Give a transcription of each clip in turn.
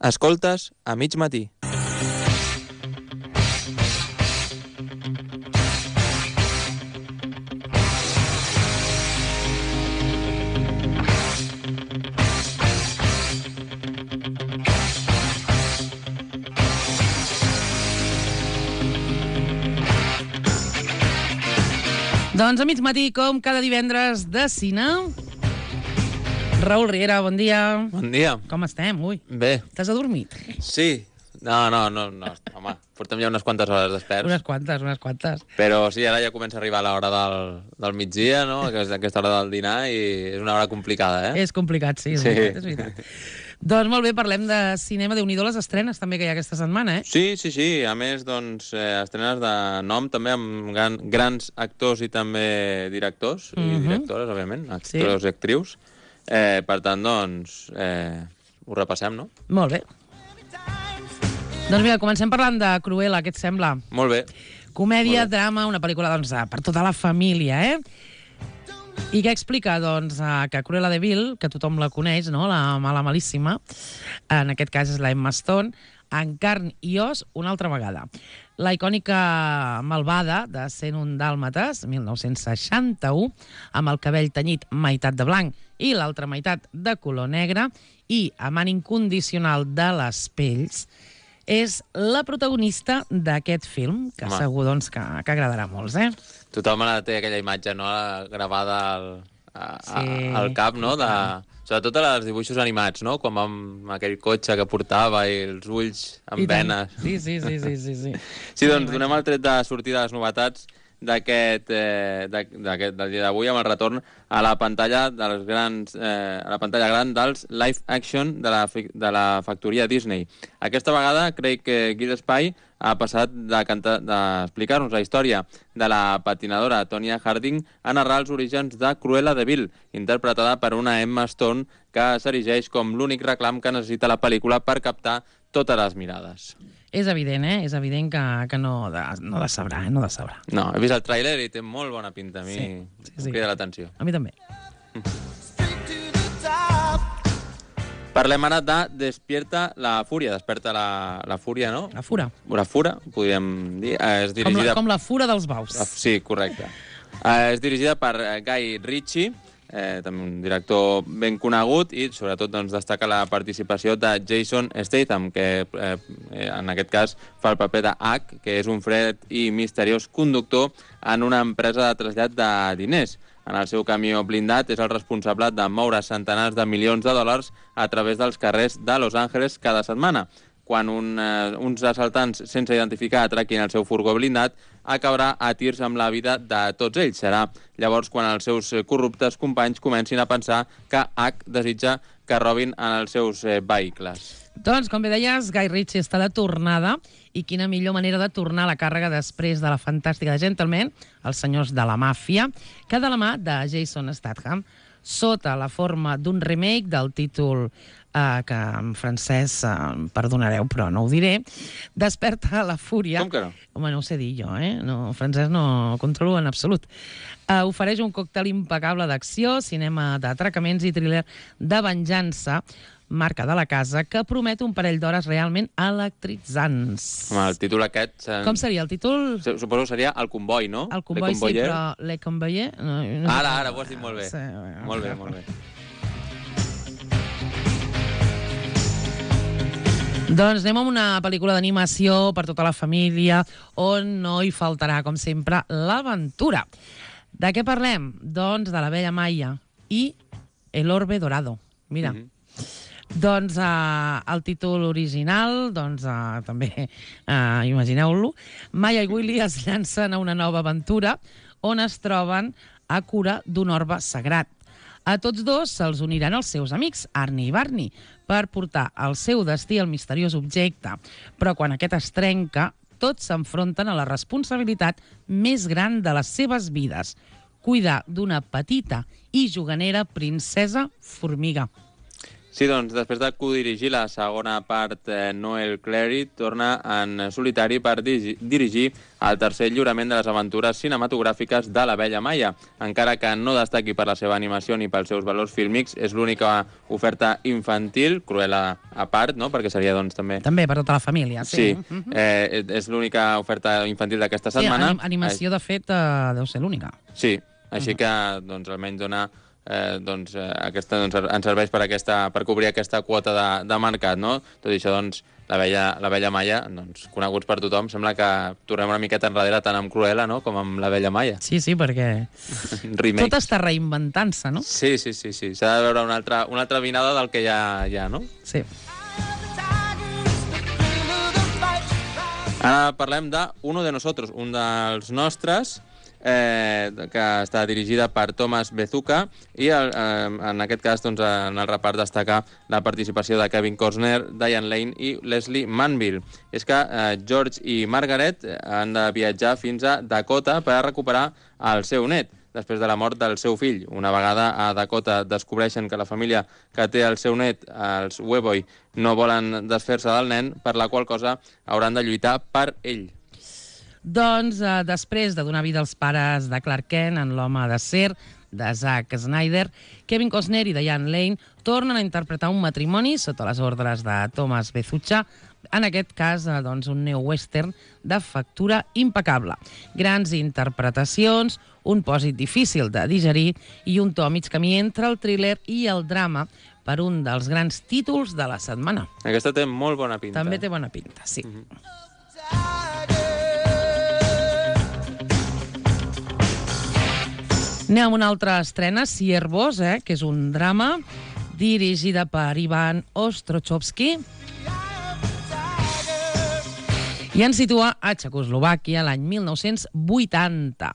Escoltes a mig matí. Doncs a mig matí, com cada divendres de cine. Raül Riera, bon dia. Bon dia. Com estem? Ui, Bé. t'has adormit? Sí. No, home, portem ja unes quantes hores desperts. Unes quantes. Però sí, ara ja comença a arribar l'hora del migdia, no? Aquesta hora del dinar, i és una hora complicada, eh? És complicat, sí, és veritat. Doncs molt bé, parlem de cinema. Déu-n'hi-do les estrenes també que hi ha aquesta setmana, eh? Sí. A més, doncs, estrenes de nom, també, amb grans actors i també directors, i directores, òbviament, actors i actrius. Per tant, doncs, ho repassem, no? Molt bé. Doncs mira, comencem parlant de Cruella, què et sembla? Molt bé. Comèdia, drama, una pel·lícula, doncs, per tota la família, eh? I què explica? Doncs que Cruella de Vil, que tothom la coneix, no? La mala malíssima, en aquest cas és la Emma Stone, en carn i os una altra vegada. La icònica malvada de 101 Dàlmates, 1961, amb el cabell tenyit meitat de blanc i l'altra meitat de color negre, i amant incondicional de les pells, és la protagonista d'aquest film, que segur doncs, que agradarà a molts, eh? Tothom té aquella imatge, no?, gravada al cap, no?, sobretot als dibuixos animats, no?, com amb aquell cotxe que portava i els ulls amb venes. Sí. Sí, doncs donem el tret de sortida de les novetats del dia d'avui, amb el retorn a la pantalla gran dels live action de la factoria Disney. Aquesta vegada Craig Gillespie ha passat d'explicar-nos la història de la patinadora Tonya Harding a narrar els orígens de Cruella de Vil, interpretada per una Emma Stone que s'erigeix com l'únic reclam que necessita la pel·lícula per captar totes les mirades. És evident, eh? És evident que no decebrà, No, he vist el tràiler i té molt bona pinta. A mi em crida l'atenció. A mi també. Parlem ara de Despierta la Fúria. Desperta la Fúria, no? La Fura. La Fura, podríem dir. És dirigida... Com la Fura dels Baus. Sí, correcte. És dirigida per Guy Ritchie, també un director ben conegut, i sobretot doncs, destaca la participació de Jason Statham, que en aquest cas fa el paper de H, que és un fred i misteriós conductor en una empresa de trasllat de diners. En el seu camió blindat és el responsable de moure centenars de milions de dòlars a través dels carrers de Los Angeles cada setmana. Quan uns assaltants sense identificar atraquin el seu furgó blindat, acabarà a tirs amb la vida de tots ells. Serà llavors quan els seus corruptes companys comencin a pensar que H desitja que robin en els seus vehicles. Doncs, com bé deies, Guy Ritchie està de tornada, i quina millor manera de tornar a la càrrega després de la fantàstica de Gentleman, els senyors de la màfia, que de la mà de Jason Statham, sota la forma d'un remake del títol que en francès, perdonareu, però no ho diré, Desperta la Fúria. Com que no? Home, no ho sé dir jo, No, francès no controlo en absolut. Ofereix un còctel impecable d'acció, cinema d'atracaments i thriller de venjança, marca de la casa, que promet un parell d'hores realment electritzants. Home, el títol aquest... Com seria el títol? Suposo que seria El Comboi, no? El Comboi, sí, però Le Convoyer... Ara, ho has dit molt bé. Sí, molt bé. Doncs anem a una pel·lícula d'animació per tota la família, on no hi faltarà, com sempre, l'aventura. De què parlem? Doncs de la Bella Maia i El Orbe Dorado. Mira. Doncs el títol original, doncs també imagineu-lo, Maia i Willy es llancen a una nova aventura on es troben a cura d'un orbe sagrat. A tots dos se'ls uniran els seus amics, Arnie i Barney, per portar al seu destí el misteriós objecte. Però quan aquest es trenca, tots s'enfronten a la responsabilitat més gran de les seves vides: cuidar d'una petita i juganera princesa formiga. Sí, doncs, després de codirigir la segona part, Noel Cleary torna en solitari per dirigir el tercer lliurament de les aventures cinematogràfiques de la Bella Maia. Encara que no destaqui per la seva animació ni pels seus valors fílmics, és l'única oferta infantil, Cruella a part, no?, perquè seria, doncs, també... També per tota la família, sí. Sí, és l'única oferta infantil d'aquesta setmana. Sí, animació, de fet, deu ser l'única. Sí, així que, doncs, almenys dona... aquesta, ens serveix per cobrir aquesta quota de mercat, no? Tot i això, doncs, la Bella Maia, doncs, coneguts per tothom, sembla que tornem una miqueta enrere tant amb Cruella, no?, com amb la Bella Maia. Sí, perquè tot està reinventant-se, no? Sí. S'ha de veure una altra vinada del que ja hi ha, no? Sí. Ara parlem de Uno de Nosotros, un dels nostres, que està dirigida per Thomas Bezuka i en aquest cas, doncs, en el repart destaca la participació de Kevin Costner, Diane Lane i Leslie Manville. És que George i Margaret han de viatjar fins a Dakota per recuperar el seu net després de la mort del seu fill. Una vegada a Dakota descobreixen que la família que té el seu net, els Weboy, no volen desfer-se del nen, per la qual cosa hauran de lluitar per ell. Doncs, després de donar vida als pares de Clark Kent en L'home d'acer, de Zack Snyder, Kevin Costner i Diane Lane tornen a interpretar un matrimoni sota les ordres de Thomas Bezuka, en aquest cas, doncs, un neo-western de factura impecable. Grans interpretacions, un pòsit difícil de digerir i un to mig camí entre el thriller i el drama per un dels grans títols de la setmana. Aquesta té molt bona pinta. També té bona pinta, sí. Anem amb una altra estrena, Siervos, que és un drama dirigida per Ivan Ostrochovsky i ens situa a Txecoslovàquia l'any 1980.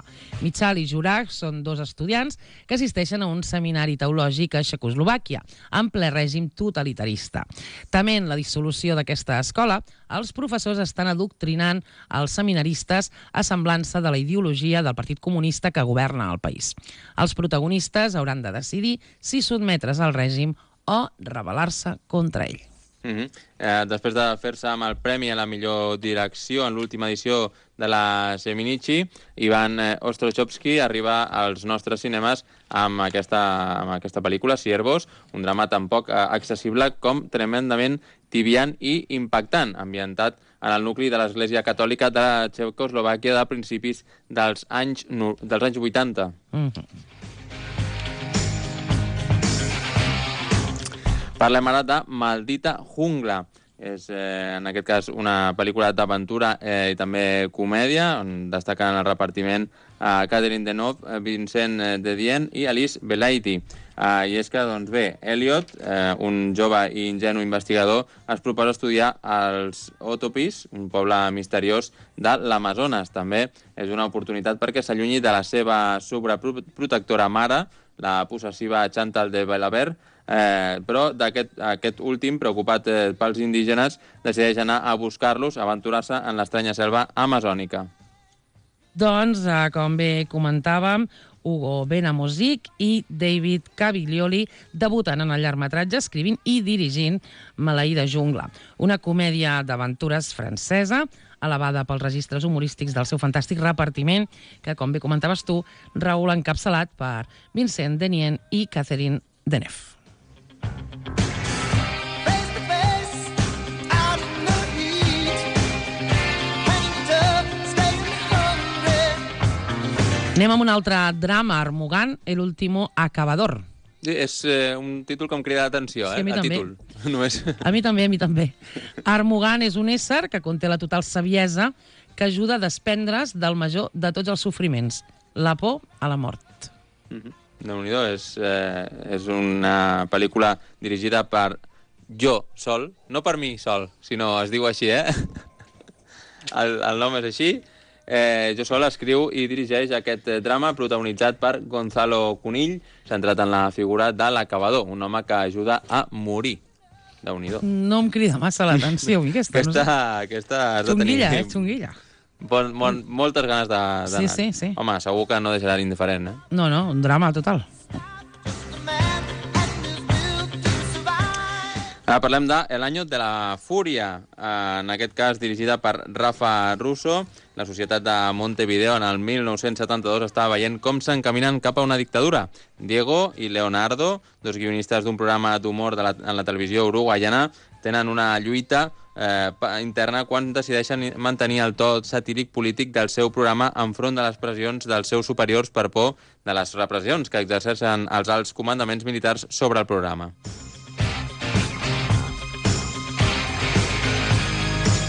Michal i Juraj són dos estudiants que assisteixen a un seminari teològic a Txecoslovàquia, en ple règim totalitarista. Tement la dissolució d'aquesta escola, els professors estan adoctrinant els seminaristes a semblança de la ideologia del Partit Comunista que governa el país. Els protagonistes hauran de decidir si sotmetre's al règim o rebel·lar-se contra ell. Després de fer-se amb el premi a la millor direcció en l'última edició de la Seminichi, Ivan Ostrochovsky arriba als nostres cinemes amb aquesta pel·lícula, Siervos, un drama tan poc accessible com tremendament tibiant i impactant, ambientat en el nucli de l'Església Catòlica de Txecoslovàquia de principis dels anys 80. Parlem ara de Maldita Jungla. És, en aquest cas, una pel·lícula d'aventura i també comèdia, on destaquen en el repartiment Catherine Deneuve, Vincent Dedien i Alice Belaïdi. I és que, doncs bé, Elliot, un jove i ingenu investigador, es proposa estudiar els Otopis, un poble misteriós de l'Amazones. També és una oportunitat perquè s'allunyi de la seva sobreprotectora mare, la possessiva Chantal de Belabert, però aquest últim, preocupat pels indígenes, decideix anar a buscar-los, aventurar-se en l'estranya selva amazònica. Doncs, com bé comentàvem, Hugo Benamosic i David Caviglioli debuten en el llargmetratge escrivint i dirigint Maleïda Jungla, una comèdia d'aventures francesa elevada pels registres humorístics del seu fantàstic repartiment, que, com bé comentaves tu, Raül, encapçalat per Vincent Dedien i Catherine Deneuve. Anem amb un altre drama, Armugant, El último acabador. Sí, és un títol que em crida l'atenció, sí, a mi el també. títol. Només. A mi també. Armugant és un ésser que conté la total saviesa que ajuda a desprendre's del major de tots els sofriments, la por a la mort. Déu-n'hi-do, és una pel·lícula dirigida per jo sol, no per mi sol, sinó es diu així, el nom és així. Jo sol escriu i dirigeix aquest drama protagonitzat per Gonzalo Cunill, centrat en la figura de l'acabador, un home que ajuda a morir. Déu-n'hi-do. No em crida massa l'atenció, aquesta. Aquesta has de tenir... Xunguilla. Moltes ganes d'anar. Sí. Home, segur que no deixarà indiferent, No, un drama total. Ara parlem de El año de la furia, en aquest cas dirigida per Rafa Russo. La societat de Montevideo en el 1972 estava veient com s'encaminen cap a una dictadura. Diego i Leonardo, dos guionistes d'un programa d'humor en la televisió uruguaiana, tenen una lluita interna quan decideixen mantenir el to satíric polític del seu programa enfront de les pressions dels seus superiors per por de les repressions que exerceixen els alts comandaments militars sobre el programa.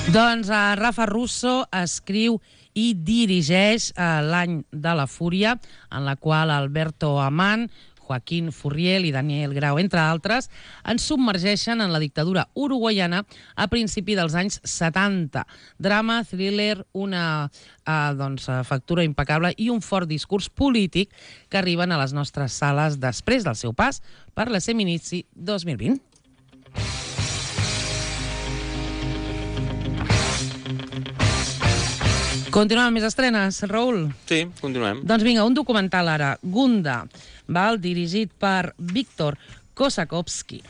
Doncs Rafa Russo escriu i dirigeix L'any de la fúria, en la qual Alberto Amán, Joaquín Furriel i Daniel Grau, entre altres, ens submergeixen en la dictadura uruguaiana a principi dels anys 70. Drama, thriller, una factura impecable i un fort discurs polític que arriben a les nostres sales després del seu pas per la Seminici 2020. Continuem amb més estrenes, Raül? Sí, continuem. Doncs vinga, un documental ara, Gunda, dirigit per Víctor Kosakovsky.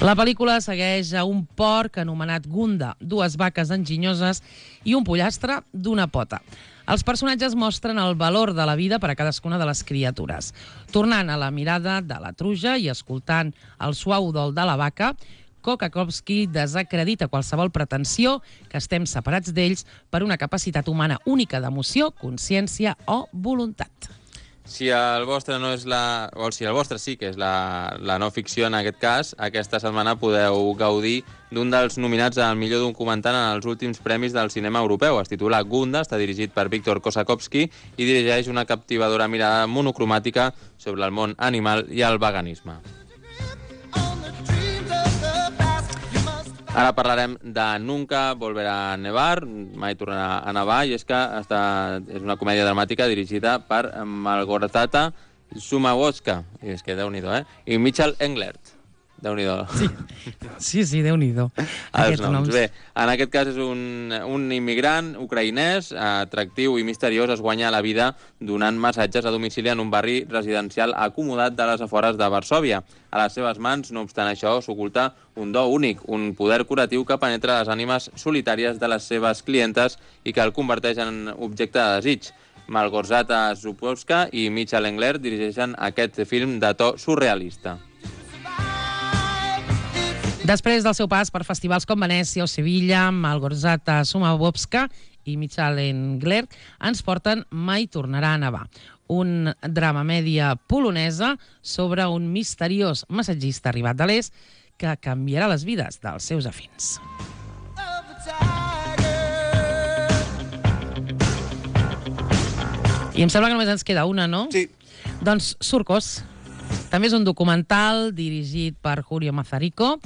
La pel·lícula segueix a un porc anomenat Gunda, dues vaques enginyoses i un pollastre d'una pota. Els personatges mostren el valor de la vida per a cadascuna de les criatures. Tornant a la mirada de la truja i escoltant el suau dol de la vaca, Kosakovsky desacredita qualsevol pretensió que estem separats d'ells per una capacitat humana única d'emoció, consciència o voluntat. Si el vostre no és si el vostre sí que és la no ficció en aquest cas, aquesta setmana podeu gaudir d'un dels nominats al millor documental en els últims premis del cinema europeu. Es titula Gunda, està dirigit per Víctor Kosakovsky i dirigeix una captivadora mirada monocromàtica sobre el món animal i el veganisme. Ara parlarem de Nunca volverá a nevar, mai tornarà a nevar, i és que és una comèdia dramàtica dirigida per Malgorzata Sumawowska, i és que déu-n'hi-do, i Michael Englert. Déu-n'hi-do. Sí, Déu-n'hi-do. Els noms. Bé, en aquest cas és un immigrant ucraïnès, atractiu i misteriós, es guanya la vida donant massatges a domicili en un barri residencial acomodat de les afores de Varsòvia. A les seves mans, no obstant això, s'oculta un do únic, un poder curatiu que penetra les ànimes solitàries de les seves clientes i que el converteix en objecte de desig. Malgorzata Sumawowska i Michael Englert dirigeixen aquest film de to surrealista. Després del seu pas per festivals com Venècia o Sevilla, Malgorzata Sumawowska i Michael Englert ens porten Mai tornarà a nevar, un drama mèdia polonesa sobre un misteriós massatgista arribat de l'est que canviarà les vides dels seus afins. I em sembla que només ens queda una, no? Sí. Doncs Surcos. També és un documental dirigit per Julio Mazarico.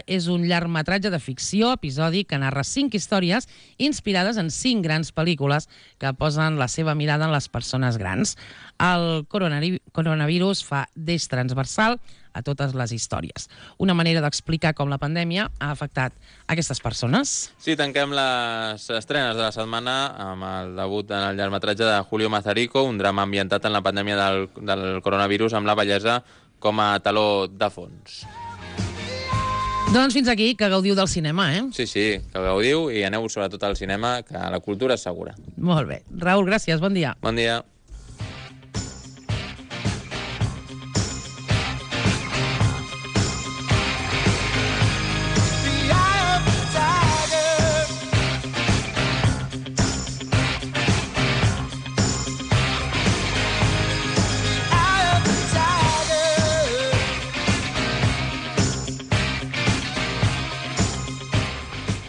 És un llargmetratge de ficció episòdic que narra 5 històries inspirades en 5 grans pel·lícules que posen la seva mirada en les persones grans. El coronavirus fa d'eix transversal a totes les històries. Una manera d'explicar com la pandèmia ha afectat aquestes persones. Sí, tanquem les estrenes de la setmana amb el debut en el llargmetratge de Julio Mazarico, un drama ambientat en la pandèmia del coronavirus amb la bellesa com a taló de fons. Doncs fins aquí, que gaudiu del cinema, eh? Sí, que gaudiu i aneu sobretot al cinema, que la cultura és segura. Molt bé. Raül, gràcies, bon dia. Bon dia.